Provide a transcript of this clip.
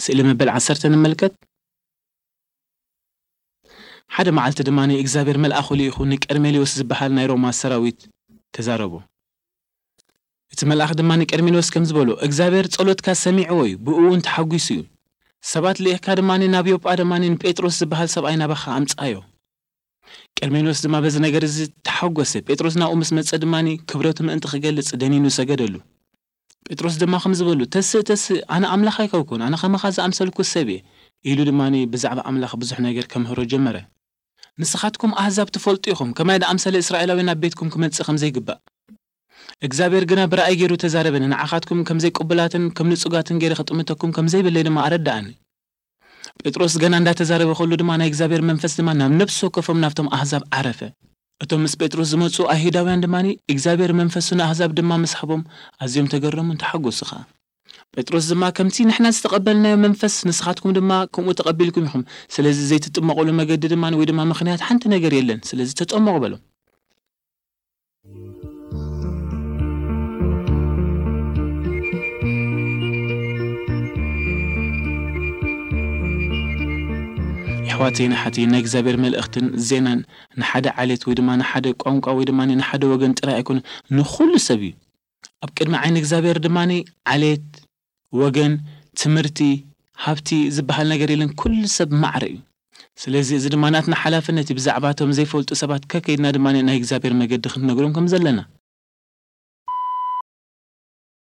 ስእሊ መበል ዓሰርተ ንመልከት። ሓደ መዓልቲ ድማ እግዚኣብሔር መልኣኹ ልኢኹ ንቀርሜሌዎስ ዝበሃል ናይ ሮማ ሰራዊት ተዛረቦ። እቲ መልኣኽ ድማ ንቀርሜሌዎስ ከም ዝበሎ እግዚኣብሔር ጸሎትካ ሰሚዕዎ እዩ፣ ብእኡ እውን ተሓጒሱ እዩ። ሰባት ልኢኽካ ድማ ናብ ዮጳ ድማ ንጴጥሮስ ዝበሃል ሰብኣይ ናባኻ ኣምጻዮ። ቀርሜሌዎስ ድማ በዚ ነገር እዚ ተሓጎሰ። ጴጥሮስ ናብኡ ምስ መጸ ድማ ክብረቱ ምእንቲ ክገልጽ ደኒኑ ሰገደሉ። ጴጥሮስ ድማ ከም ዝበሉ፣ ተስእ፣ ተስእ፣ ኣነ ኣምላኽ ኣይከውኩን፣ ኣነ ከማኻ ዝኣምሰልኩ ሰብ እየ፣ ኢሉ ድማ ብዛዕባ ኣምላኽ ብዙሕ ነገር ከምህሮ ጀመረ። ንስኻትኩም ኣህዛብ ትፈልጡ ኢኹም፣ ከማይ ዝኣምሰለ እስራኤላዊ ናብ ቤትኩም ክመጽእ ከም ዘይግባእ። እግዚኣብሔር ግና ብራእይ ገይሩ ተዛረበኒ፣ ንዓኻትኩም ከም ዘይቅቡላትን ከም ንጹጋትን ገይረ ክጥምተኩም ከም ዘይብለይ ድማ ኣረዳኣኒ። ጴጥሮስ ገና እንዳተዛረበ ከሎ ድማ ናይ እግዚኣብሔር መንፈስ ድማ ናብ ነፍሲ ወከፎም ናብቶም ኣህዛብ ዓረፈ። እቶም ምስ ጴጥሮስ ዝመጹ ኣይሁዳውያን ድማ እግዚኣብሔር መንፈሱ ንኣህዛብ ድማ ምስ ሃቦም ኣዝዮም ተገረሙን ተሓጎሱ ኸኣ። ጴጥሮስ ድማ ከምቲ ንሕና ዝተቐበልናዮ መንፈስ ንስኻትኩም ድማ ከምኡ ተቐቢልኩም ኢኹም። ስለዚ ዘይትጥመቑሉ መገዲ ድማ ወይ ድማ ምኽንያት ሓንቲ ነገር የለን። ስለዚ ተጠመቑ በሎም። የሕዋተይን ኣሓተይን ናይ እግዚኣብሔር መልእኽትን ዜናን ንሓደ ዓሌት ወይ ድማ ንሓደ ቋንቋ ወይ ድማ ንሓደ ወገን ጥራይ ኣይኮነ፣ ንኹሉ ሰብ እዩ። ኣብ ቅድሚ ዓይኒ እግዚኣብሔር ድማ ዓሌት፣ ወገን፣ ትምህርቲ፣ ሃብቲ ዝበሃል ነገር የለን። ኩሉ ሰብ ማዕረ እዩ። ስለዚ እዚ ድማ ናትና ሓላፍነት እዩ፣ ብዛዕባቶም ዘይፈልጡ ሰባት ከከይድና ድማ ናይ እግዚኣብሔር መገዲ ክንነግሮም ከም ዘለና።